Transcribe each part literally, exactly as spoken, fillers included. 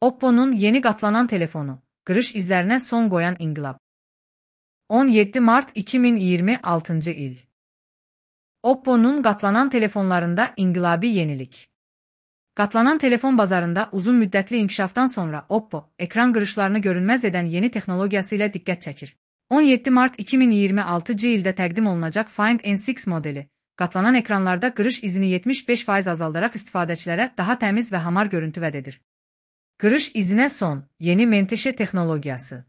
Oppo'nun yeni qatlanan telefonu, qırış izlərinə son qoyan inqilab. on yeddi mart iki min iyirmi altıncı il. Oppo'nun qatlanan telefonlarında inqilabi yenilik. Qatlanan telefon bazarında uzun müddətli inkişafdan sonra Oppo, ekran qırışlarını görünməz edən yeni texnologiyası ilə diqqət çəkir. on yeddi mart iki min iyirmi altıncı ildə təqdim olunacaq Find N altı modeli, qatlanan ekranlarda qırış izini yetmiş beş faiz azaldaraq istifadəçilərə daha təmiz və hamar görüntü vəd edir. Qırış izinə son, yeni menteşə texnologiyası.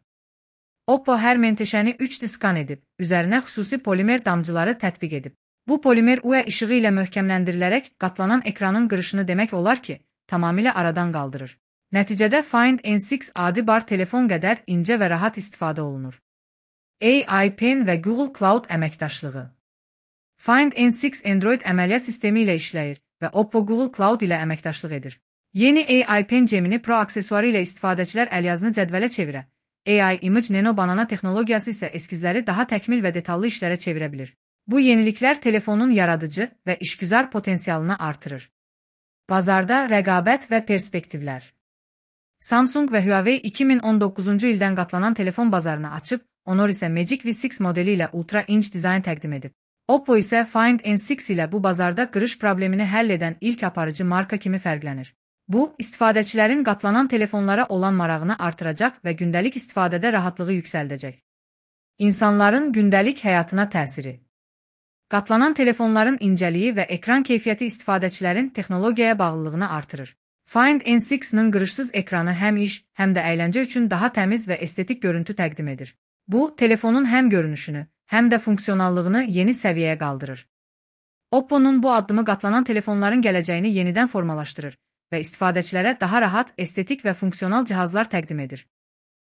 Oppo hər menteşəni üç D skan edib, üzərinə xüsusi polimer damcıları tətbiq edib. Bu polimer U V işığı ilə möhkəmləndirilərək qatlanan ekranın qırışını demək olar ki, tamamilə aradan qaldırır. Nəticədə Find N altı adi bar telefon qədər incə və rahat istifadə olunur. A I Pen və Google Cloud əməkdaşlığı. Find N altı Android əməliyyat sistemi ilə işləyir və Oppo Google Cloud ilə əməkdaşlıq edir. Yeni A I Pen Gemini Pro aksesuarı ilə istifadəçilər əlyazını cədvələ çevirə. A I Image Nano Banana texnologiyası isə eskizləri daha təkmil və detallı işlərə çevirə bilir. Bu yeniliklər telefonun yaradıcı və işgüzar potensialını artırır. Bazarda rəqabət və perspektivlər. Samsung və Huawei iki min on doqquzuncu ildən qatlanan telefon bazarını açıb, Honor isə Magic V altı modeli ilə ultra inch dizayn təqdim edib. Oppo isə Find N altı ilə bu bazarda qırış problemini həll edən ilk aparıcı marka kimi fərqlənir. Bu, istifadəçilərin qatlanan telefonlara olan marağını artıracaq və gündəlik istifadədə rahatlığı yüksəldəcək. İnsanların gündəlik həyatına təsiri. Qatlanan telefonların incəliyi və ekran keyfiyyəti istifadəçilərin texnologiyaya bağlılığını artırır. Find N altı-nın qırışsız ekranı həm iş, həm də əyləncə üçün daha təmiz və estetik görüntü təqdim edir. Bu, telefonun həm görünüşünü, həm də funksionallığını yeni səviyyəyə qaldırır. Oppo'nun bu addımı qatlanan telefonların gələcəyini yenidən formalaşdırır və istifadəçilərə daha rahat, estetik və funksional cihazlar təqdim edir.